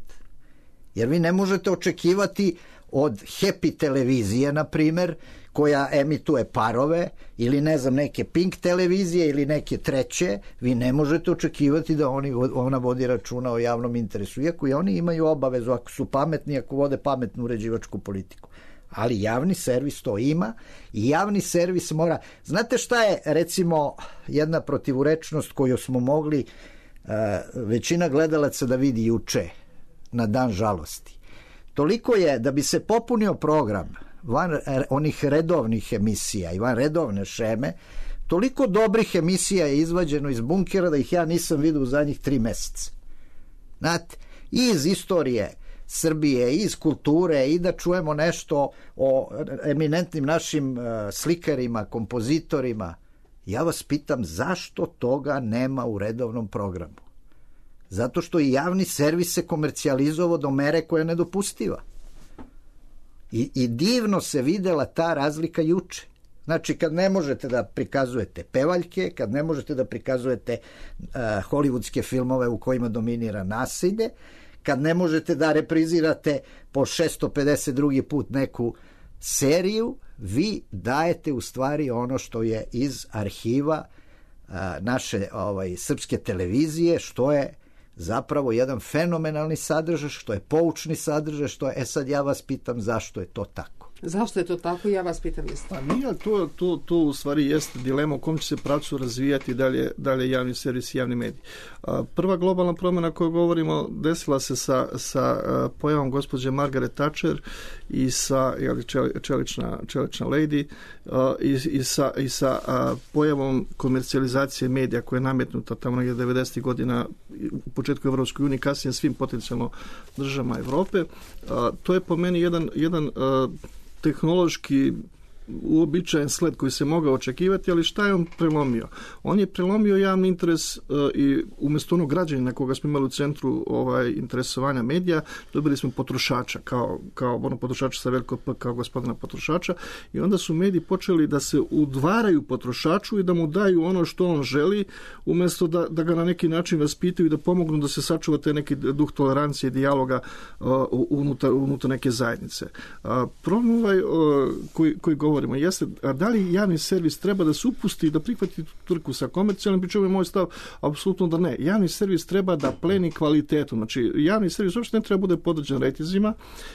E: Jer vi ne možete očekivati od Happy televizije, na primer, koja emituje parove, ili ne znam, neke Pink televizije ili neke treće, vi ne možete očekivati da ona vodi računa o javnom interesu, iako i oni imaju obavezu, ako su pametni, ako vode pametnu uređivačku politiku. Ali javni servis to ima i javni servis mora... Znate šta je, recimo, jedna protivurečnost koju smo mogli većina gledalaca da vidi juče, na dan žalosti? Toliko je da bi se popunio program van onih redovnih emisija i van redovne šeme, toliko dobrih emisija je izvađeno iz bunkera da ih ja nisam vidio u zadnjih 3 meseca. Znate, i iz istorije Srbije, iz kulture, i da čujemo nešto o eminentnim našim slikarima, kompozitorima. Ja vas pitam, zašto toga nema u redovnom programu? Zato što i javni servis se komercijalizovao do mere koja je nedopustiva. I divno se videla ta razlika juče. Znači, kad ne možete da prikazujete pevaljke, kad ne možete da prikazujete hollywoodske filmove u kojima dominira nasilje, kad ne možete da reprizirate po 652. put neku seriju, vi dajete u stvari ono što je iz arhiva naše srpske televizije, što je zapravo jedan fenomenalni sadržaj, što je poučni sadržaj, što je... sad ja vas pitam zašto je to tako.
D: Zašto je to tako? Ja vas pitam isto.
F: Pa nije, to u stvari jeste dilema u kom će se pravcu razvijati dalje javni servis i javni mediji. Prva globalna promjena koju govorimo desila se sa pojavom gospođe Margaret Thatcher i sa čelična lady i sa pojavom komercijalizacije medija koja je nametnuta tamo negdje 90. godina u početku Evropskoj uniji, kasnije svim potencijalno državama Evrope. To je po meni jedan tehnološki uobičajen sled koji se mogao očekivati, ali šta je on prelomio? On je prelomio javni interes i umjesto onog građanina koga smo imali u centru interesovanja medija, dobili smo potrošača, kao ono potrošača sa veliko P, kao gospodina potrošača, i onda su mediji počeli da se udvaraju potrošaču i da mu daju ono što on želi, umjesto da ga na neki način vaspitaju i da pomognu da se sačuva te neki duh tolerancije i dijaloga unutar neke zajednice. Problem koji govorimo jeste, a da li javni servis treba da se upusti da prihvati trku sa komercijalnim, pričemu je moj stav apsolutno da ne. Javni servis treba da pleni kvalitetu. Znači, javni servis uopšte ne treba bude podređen rejtinzima,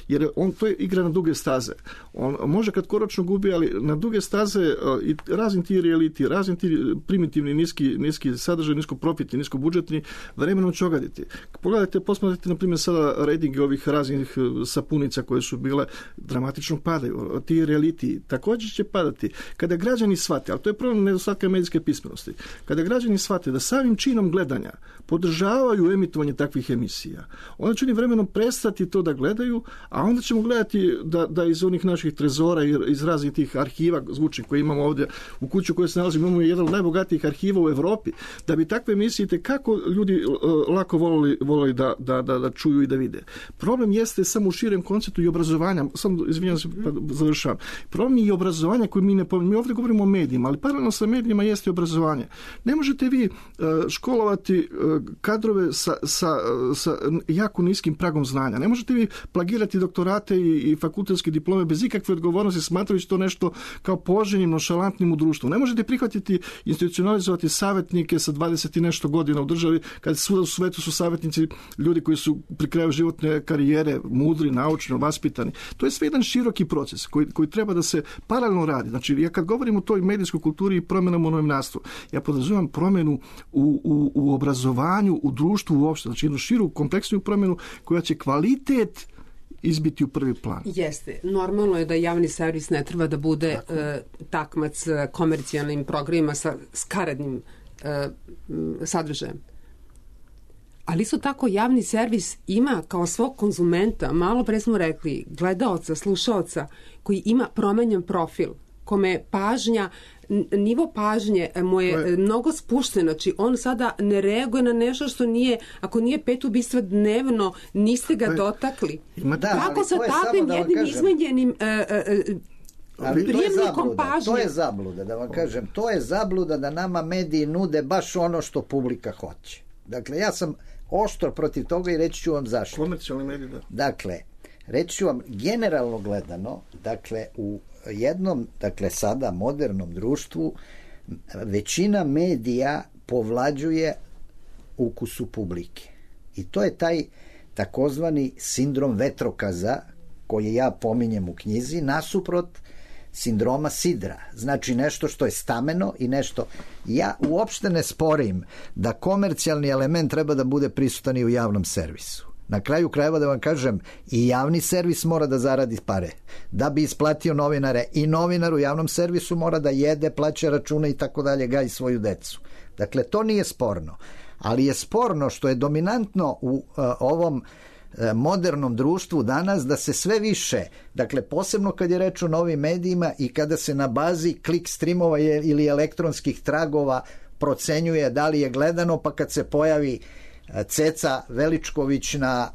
F: jer to je igra na duge staze. On može kratkoročno gubi, ali na duge staze i razni ti reality, razni ti primitivni, niski sadržaj, nisko profitni, nisko budžetni, vremenom će ogaditi. Pogledajte, posmatrajte, na primjer, sada rejtinge ovih raznih sapunica koje su bile, dramatično padaju. Ti reality također će padati. Kada građani shvate, ali to je problem nedostatka medijske pismenosti, kada građani shvate da samim činom gledanja podržavaju emitovanje takvih emisija, onda će oni vremenom prestati to da gledaju, a onda ćemo gledati da iz onih naših trezora i iz raznih tih arhiva zvučnih koje imamo ovdje u kuću koje se nalazimo, imamo jedan od najbogatijih arhiva u Evropi, da bi takve emisije kako ljudi lako volili da čuju i da vide. Problem jeste samo u širem konceptu i obrazovanja. Samo, izvinjam se, pa završavam. Problem je i obrazovanja koji mi ovdje govorimo o medijima, ali paralelno sa medijima jeste i obrazovanje. Ne možete vi školovati kadrove sa jako niskim pragom znanja. Ne možete vi plagirati doktorate i fakultetske diplome bez ikakve odgovornosti, smatrajući to nešto kao poželjnim, nonšalantnim u društvu. Ne možete prihvatiti, institucionalizovati savjetnike sa 20 i nešto godina u državi, kad svuda u svetu su savjetnici ljudi koji su pri kraju životne karijere mudri, naučni, vaspitani. To je sve jedan široki proces koji treba da se paralelno radi. Znači, ja kad govorim o toj medijskoj kulturi i promjenama u novinarstvu, ja podrazumijem promjenu u obrazovanju, u društvu uopšte, znači jednu širu, kompleksniju promjenu koja će kvalitet izbiti u prvi plan.
D: Jeste. Normalno je da javni servis ne treba da bude takmac komercijalnim programima sa skaradnim sadržajem. Ali isto tako javni servis ima kao svog konzumenta, malo pre smo rekli, gledaoca, slušaoca, koji ima promenjen profil, kome pažnja nivo pažnje mu je mnogo spušten, znači on sada ne reaguje na nešto što nije, ako nije 5 ubistva dnevno, niste ga dotakli. Kako sa takvim jednim izmenjenim prijemnikom pažnje?
E: To je zabluda, da vam kažem, to je zabluda da nama mediji nude baš ono što publika hoće. Dakle, ja sam oštro protiv toga i reći ću vam zašto.
F: Komercijalni mediji, da.
E: Dakle, reći ću vam generalno gledano, dakle, u jednom, dakle, sada modernom društvu većina medija povlađuje ukusu publike. I to je taj takozvani sindrom vetrokaza koji ja pominjem u knjizi, nasuprot sindroma sidra. Znači nešto što je stameno i nešto... Ja uopšte ne sporim da komercijalni element treba da bude prisutan i u javnom servisu. Na kraju krajeva da vam kažem, i javni servis mora da zaradi pare. Da bi isplatio novinare, i novinar u javnom servisu mora da jede, plaća račune i tako dalje, gaji svoju decu. Dakle, to nije sporno. Ali je sporno što je dominantno u ovom modernom društvu danas da se sve više, dakle posebno kad je reč o novim medijima i kada se na bazi klik streamova ili elektronskih tragova procenjuje da li je gledano, pa kad se pojavi Ceca Veličković na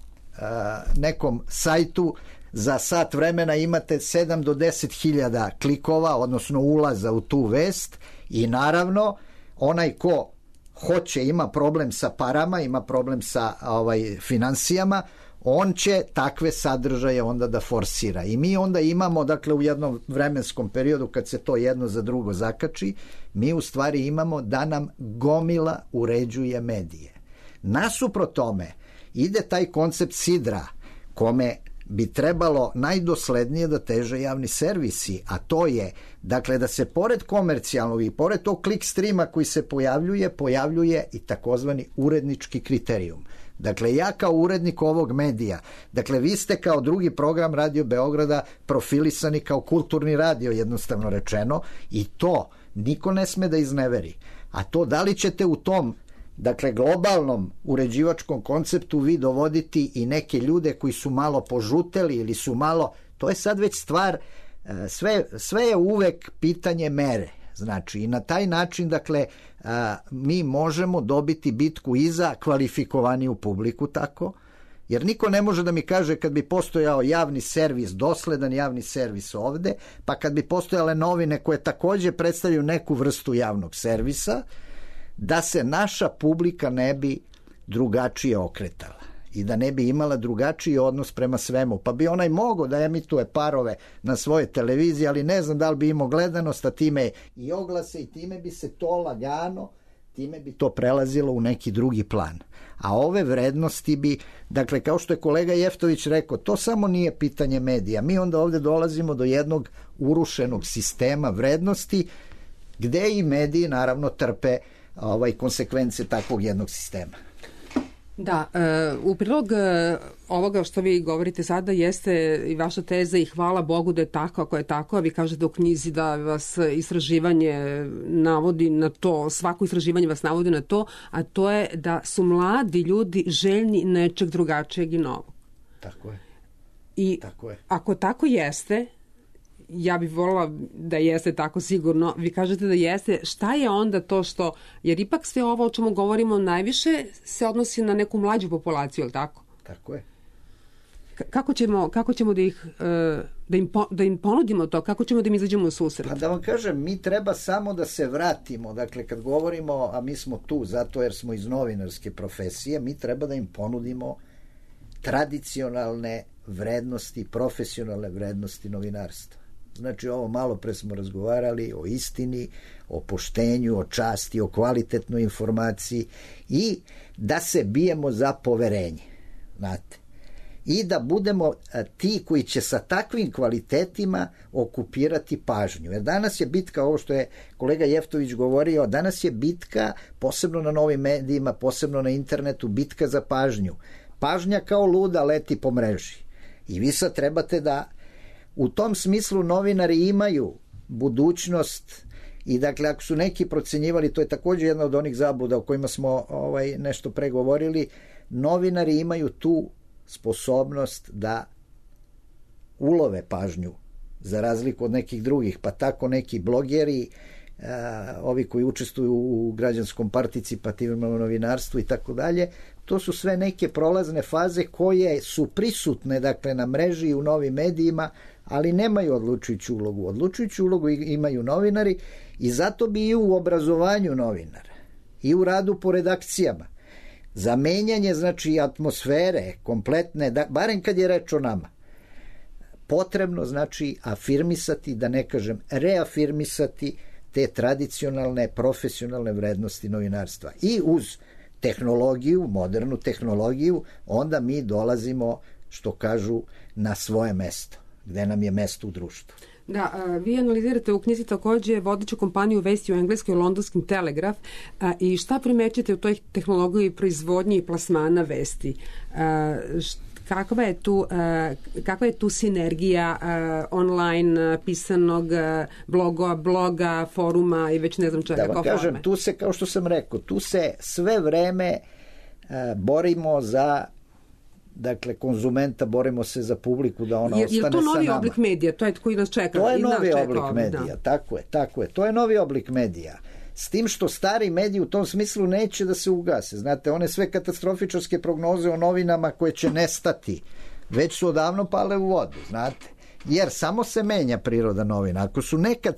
E: nekom sajtu, za sat vremena imate 7 do 10 hiljada klikova, odnosno ulaza u tu vest, i naravno onaj ko hoće, ima problem sa parama, ima problem sa finansijama, on će takve sadržaje onda da forsira. I mi onda imamo, dakle, u jednom vremenskom periodu kad se to jedno za drugo zakači, mi u stvari imamo da nam gomila uređuje medije. Nasuprot tome ide taj koncept sidra, kome bi trebalo najdoslednije da teže javni servisi, a to je, dakle, da se pored komercijalnog i pored tog klik streama koji se pojavljuje i takozvani urednički kriterijum. Dakle, ja kao urednik ovog medija, dakle, vi ste kao drugi program Radio Beograda profilisani kao kulturni radio, jednostavno rečeno, i to niko ne sme da izneveri. A to da li ćete u tom, dakle, globalnom uređivačkom konceptu vi dovoditi i neke ljude koji su malo požuteli ili su malo, to je sad već stvar, sve je uvek pitanje mere. Znači, i na taj način, dakle, mi možemo dobiti bitku i za kvalifikovaniju publiku tako, jer niko ne može da mi kaže kad bi postojao javni servis, dosledan javni servis ovde, pa kad bi postojale novine koje takođe predstavljaju neku vrstu javnog servisa, da se naša publika ne bi drugačije okretala i da ne bi imala drugačiji odnos prema svemu. Pa bi onaj mogao da emituje parove na svoje televizije, ali ne znam da li bi imao gledanost, a time i oglase, i time bi se to lagano, time bi to prelazilo u neki drugi plan. A ove vrednosti bi, dakle, kao što je kolega Jeftović rekao, to samo nije pitanje medija. Mi onda ovde dolazimo do jednog urušenog sistema vrednosti, gde i mediji naravno trpe konsekvence takvog jednog sistema.
D: Da, u prilog ovoga što vi govorite sada jeste i vaša teza, i hvala Bogu da je tako, ako je tako, a vi kažete u knjizi da vas istraživanje navodi na to, svako istraživanje vas navodi na to, a to je da su mladi ljudi željni nečeg drugačijeg i novog.
E: Tako je.
D: I
E: tako je.
D: Ako tako jeste, ja bih volila da jeste tako sigurno, vi kažete da jeste, šta je onda to što, jer ipak sve ovo o čemu govorimo najviše se odnosi na neku mlađu populaciju, ili tako?
E: Tako je.
D: Kako ćemo da im ponudimo to, kako ćemo da im izađemo u susret?
E: Pa da vam kažem, mi treba samo da se vratimo, dakle kad govorimo, a mi smo tu zato jer smo iz novinarske profesije, mi treba da im ponudimo tradicionalne vrednosti, profesionalne vrednosti novinarstva. Znači, ovo malo pre smo razgovarali o istini, o poštenju, o časti, o kvalitetnoj informaciji i da se bijemo za poverenje, znate. I da budemo ti koji će sa takvim kvalitetima okupirati pažnju. Jer danas je bitka, ovo što je kolega Jeftović govorio, danas je bitka, posebno na novim medijima, posebno na internetu, bitka za pažnju. Pažnja kao luda leti po mreži. I vi sad trebate da u tom smislu novinari imaju budućnost i dakle ako su neki procenjivali, to je također jedna od onih zabluda o kojima smo nešto pregovorili, novinari imaju tu sposobnost da ulove pažnju za razliku od nekih drugih, pa tako neki blogeri ovi koji učestvuju u građanskom participativnom novinarstvu i tako dalje. To su sve neke prolazne faze koje su prisutne, dakle, na mreži i u novim medijima, ali nemaju odlučujuću ulogu. Odlučujuću ulogu imaju novinari i zato bi i u obrazovanju novinara i u radu po redakcijama za menjanje, znači, atmosfere kompletne, barem kad je reč o nama, potrebno, znači, afirmisati, da ne kažem reafirmisati te tradicionalne, profesionalne vrednosti novinarstva. I uz tehnologiju, modernu tehnologiju, onda mi dolazimo, što kažu, na svoje mesto, gde nam je mesto u društvu.
D: Da, vi analizirate u knjizi takođe vodeću kompaniju vesti u engleskoj Londonski Telegraf i šta primećete u toj tehnologiji proizvodnje i plasmana vesti? Kakva je tu sinergija online pisanog bloga, foruma i već ne znam čega kao forme? Da vam kažem,
E: tu se, kao što sam rekao, tu se sve vreme borimo za, dakle, konzumenta, borimo se za publiku da ona ostane sa nama. Je to
D: novi oblik medija? To je koji nas čeka?
E: To je novi oblik medija, tako je. To je novi oblik medija. S tim što stari mediji u tom smislu neće da se ugase. Znate, one sve katastrofičarske prognoze o novinama koje će nestati, već su odavno pale u vodu, znate. Jer samo se menja priroda novina. Ako su nekad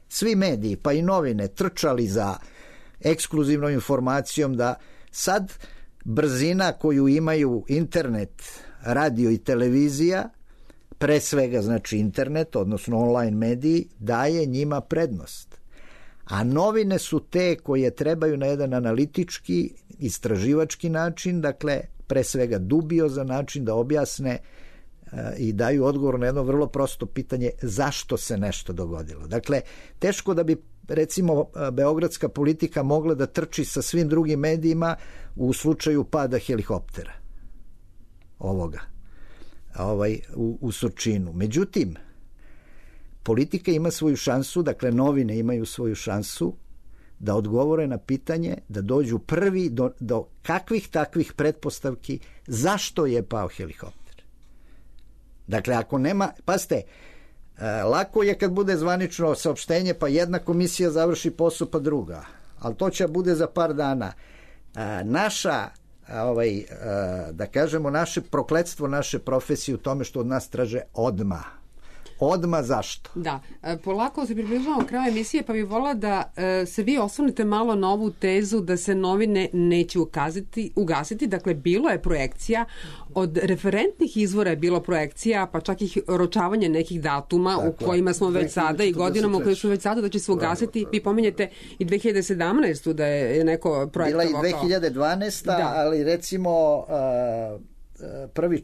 E: svi mediji, pa i novine, trčali za ekskluzivnom informacijom, da sad brzina koju imaju internet, radio i televizija, pre svega, znači, internet, odnosno online mediji, daje njima prednost. A novine su te koje trebaju na jedan analitički, istraživački način, dakle, pre svega dubiozan način da objasne i daju odgovor na jedno vrlo prosto pitanje zašto se nešto dogodilo. Dakle, teško da bi, recimo, beogradska politika mogla da trči sa svim drugim medijima u slučaju pada helikoptera ovoga u Surčinu. Međutim, politika ima svoju šansu, dakle novine imaju svoju šansu da odgovore na pitanje, da dođu prvi do kakvih takvih pretpostavki zašto je pao helikopter. Dakle, ako nema, pazite, lako je kad bude zvanično saopštenje, pa jedna komisija završi posao, pa druga, ali to će bude za par dana. Naša, da kažemo, naše prokletstvo naše profesije u tome što od nas traže odmah. Zašto?
D: Da, polako se približavamo kraju emisije, pa bih volila da se vi osvrnete malo na ovu tezu da se novine neće ugasiti. Dakle, bilo je projekcija, od referentnih izvora je bilo projekcija, pa čak i oročavanje nekih datuma u kojima smo već sada i godinama u kojima smo već sada da će se ugasiti. Vi pominjete i 2017. da je neko projektovao.
E: Bila i 2012. Da. Ali recimo prvi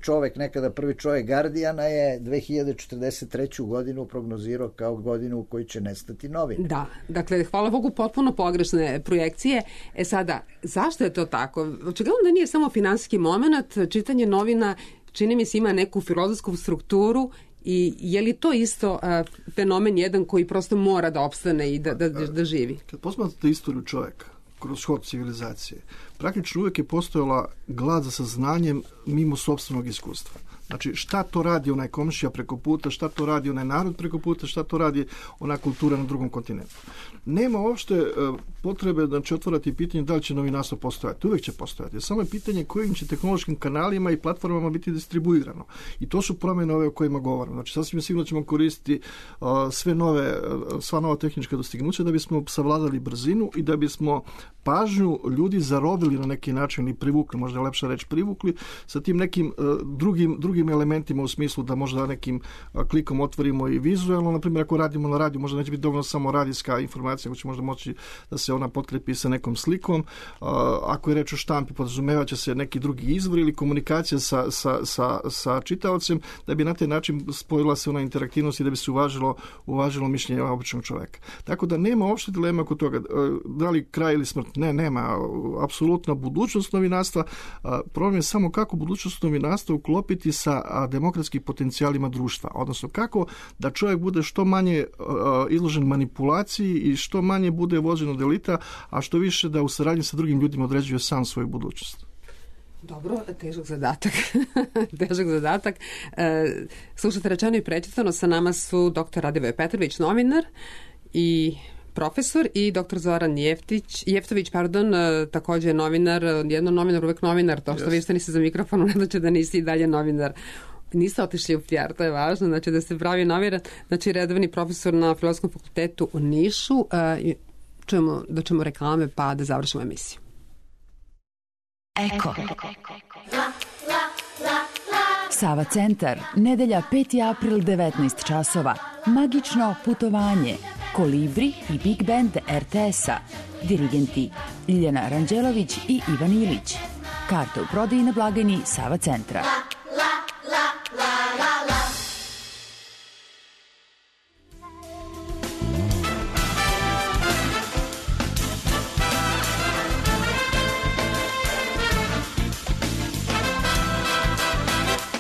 E: čovek Guardiana je 2043. godinu prognozirao kao godinu u kojoj će nestati novine.
D: Da, dakle, hvala Bogu, potpuno pogrešne projekcije. Sada, zašto je to tako? Očigledno da nije samo finansijski moment, čitanje novina, čini mi se, ima neku filozofsku strukturu i je li to isto fenomen jedan koji prosto mora da opstane i da živi?
F: Kad posmatrate istoriju čoveka, kroz hod civilizacije, praktično uvijek je postojala glad za saznanjem mimo sopstvenog iskustva. Znači, šta to radi onaj komšija preko puta, šta to radi onaj narod preko puta, šta to radi ona kultura na drugom kontinentu. Nema uopšte potrebe, znači, otvorati pitanje da li će novinarstvo postojati. Uvijek će postojati. Samo je pitanje kojim će tehnološkim kanalima i platformama biti distribuirano. I to su promjene ove o kojima govorimo. Znači, sasvim sigurno ćemo koristiti sva nova tehnička dostignuća da bismo savladali brzinu i da bismo pažnju ljudi zarobili na neki način i privukli, možda je lepša reč privukli, sa tim nekim drugim elementima u smislu da možda nekim klikom otvorimo i vizualno. Naprimjer, ako radimo na radiju, možda neće biti dovoljno samo radijska informacija, ako će možda moći da se ona potkrepi sa nekom slikom. Ako je reč o štampi, podrazumeva će se neki drugi izvor ili komunikacija sa čitaocem, da bi na taj način spojila se ona interaktivnost i da bi se uvažilo mišljenje običnog čoveka. Tako da nema uopšte dilema oko toga da li kraj ili smrt. Ne, nema. Apsolutna budućnost novinarstva. Problem je samo kako budućnost novinarstva uklopiti sa demokratskim potencijalima društva. Odnosno kako da čovjek bude što manje izložen manipulaciji i što manje bude vođen od elita, a što više da u saradnji sa drugim ljudima određuje sam svoju budućnost.
D: Dobro, težak zadatak. Slušate Rečeno i prečitano, sa nama su dr. Radivoje Petrović, novinar, i profesor i dr. Zoran Jeftović, takođe novinar, jedno novinar, uvek novinar, to što vi ste niste za mikrofonom, ne znači da niste i dalje novinar. Niste otišli u PR, to je važno, znači da ste pravi novinar, znači redovni profesor na Filozofskom fakultetu u Nišu. Da ćemo reklame pa da završimo emisiju.
C: Eko. Sava centar, nedelja 5. april 19 časova. Magično putovanje. Kolibri i Big Band RTS-a. Dirigenti Ljiljana Ranđelović i Ivan Ilić. Karte u prodaji na blagajni Sava centra.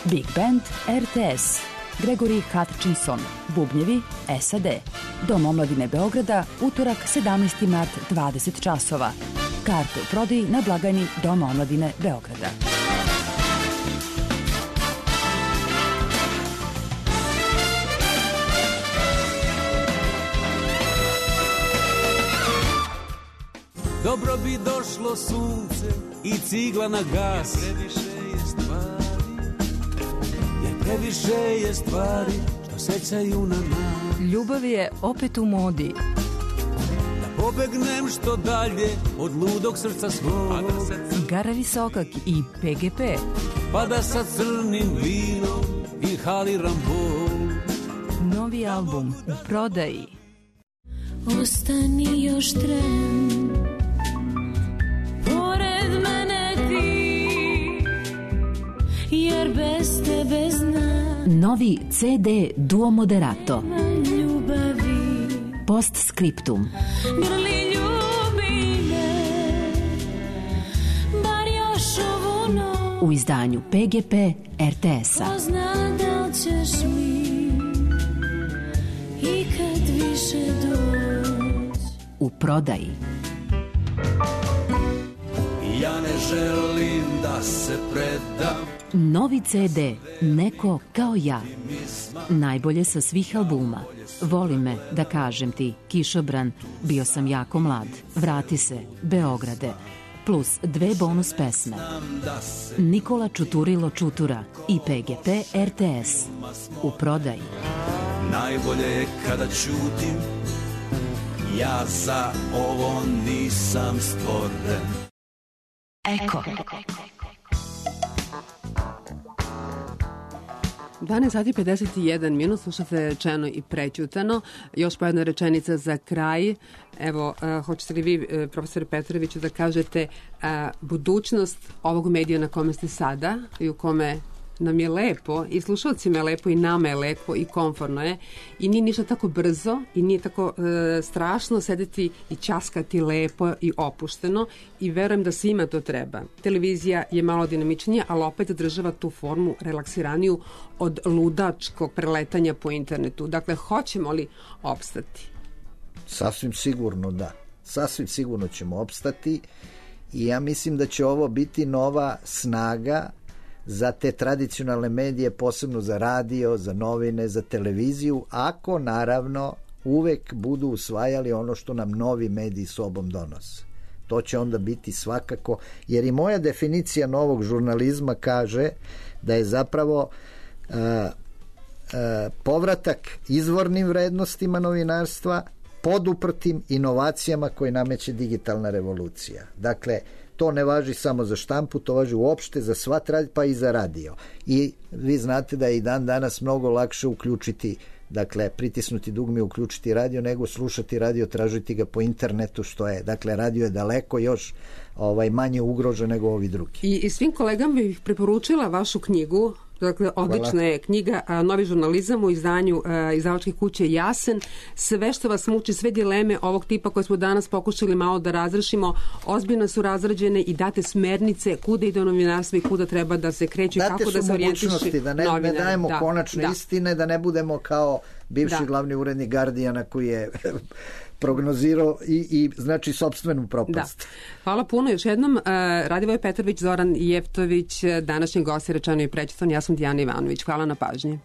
C: Big Band RTS, Gregory Hutchinson, bubnjevi SAD. Dom omladine Beograda, utorak 17. mart 20 časova. Karte u prodaji na blagajni Doma omladine Beograda.
B: Dobro bi došlo sunce i cigla na gas. Previše je stvari što sećaju na nas.
C: Ljubav je opet u modi.
B: Da pobegnem što dalje od ludog srca svog.
C: Gara Visokak i PGP.
B: Pa da sa crnim vinom inhaliram bol.
C: Novi album u prodaji.
G: Ostani još tren pored mene ti, jer bez tebe znam.
C: Novi CD Duo Moderato.
G: Ljubavi.
C: Postscriptum.
G: Grli ljubi me, bar još ovu noć.
C: U izdanju PGP RTS-a.
G: Ko zna da li ćeš mi ikad više doći.
C: U prodaji.
B: Ja ne želim da se predam.
C: Novi CD Neko kao ja. Najbolje sa svih albuma. Voli me, da kažem ti, Kišobran, bio sam jako mlad, vrati se, Beograde, plus 2 bonus pesme. Nikola Čuturilo Čutura i PGP RTS. U prodaji.
B: Najbolje je kada ćutim, ja za ovo nisam stvoren.
C: Eko.
D: 12 sati 51 minut, slušate Rečeno i prećutano. Još po jedna rečenica za kraj. Evo, hoćete li vi, profesore Petroviću, da kažete budućnost ovog medija na kome ste sada i u kome nam je lepo i slušalcima je lepo i nama je lepo i komforno je i nije ništa tako brzo i nije tako strašno sedeti i ćaskati lepo i opušteno i verujem da svima to treba. Televizija je malo dinamičnija, ali opet zadržava tu formu relaksiraniju od ludačkog preletanja po internetu. Dakle, hoćemo li opstati?
E: Sasvim sigurno da. Sasvim sigurno ćemo opstati i ja mislim da će ovo biti nova snaga za te tradicionalne medije, posebno za radio, za novine, za televiziju, ako naravno uvek budu usvajali ono što nam novi mediji sobom donose. To će onda biti svakako, jer i moja definicija novog žurnalizma kaže da je zapravo povratak izvornim vrednostima novinarstva poduprtim inovacijama koje nameće digitalna revolucija. Dakle, to ne važi samo za štampu, to važi uopšte za sva pa i za radio. I vi znate da je i dan danas mnogo lakše uključiti, dakle, pritisnuti dugme i uključiti radio, nego slušati radio, tražiti ga po internetu, što je. Dakle, radio je daleko još manje ugrožen nego ovi drugi.
D: I svim kolegama bih preporučila vašu knjigu. Dakle, odlična je knjiga Novi žurnalizam u izdanju izdavačke kuće Jasen. Sve što vas muči, sve dileme ovog tipa koje smo danas pokušali malo da razrešimo, ozbiljno su razrađene i date smernice kuda ide novinarstvo i kuda treba da se kreću i kako da se orijentiše
E: novinar. Da ne dajemo konačne istine, da ne budemo kao bivši glavni urednik Guardiana koji je prognozirao i znači sopstvenu propast.
D: Da. Hvala puno još jednom. Radivoj Petrović, Zoran Jeftović, današnji gost je Rečeno i prećutano. Ja sam Dijana Ivanović. Hvala na pažnji.